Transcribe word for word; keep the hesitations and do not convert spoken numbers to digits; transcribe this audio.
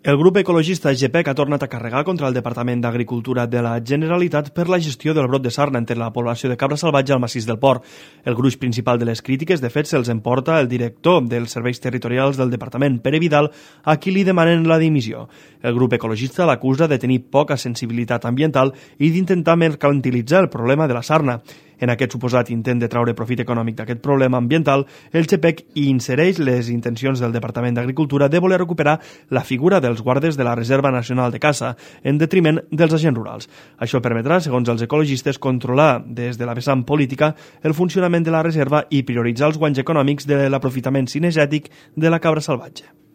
El grup ecologista GEPEC ha tornat a carregar contra el Departament d'Agricultura de la Generalitat per la gestió del brot de sarna entre la població de cabra salvatge al massís del Port. El gruix principal de les crítiques, de fet, se'ls emporta el director dels serveis territorials del departament, Pere Vidal, a qui li demanen la dimissió. El grup ecologista l'acusa de tenir poca sensibilitat ambiental i d'intentar mercantilitzar el problema de la sarna. En aquest suposat intent de traure profit econòmic d'aquest problema ambiental, el GEPEC insereix les intencions del Departament d'Agricultura de voler recuperar la figura dels guardes de la Reserva Nacional de Caça, en detriment dels agents rurals. Això permetrà, segons els ecologistes, controlar des de la vessant política el funcionament de la reserva i prioritzar els guanys econòmics de l'aprofitament cinegètic de la cabra salvatge.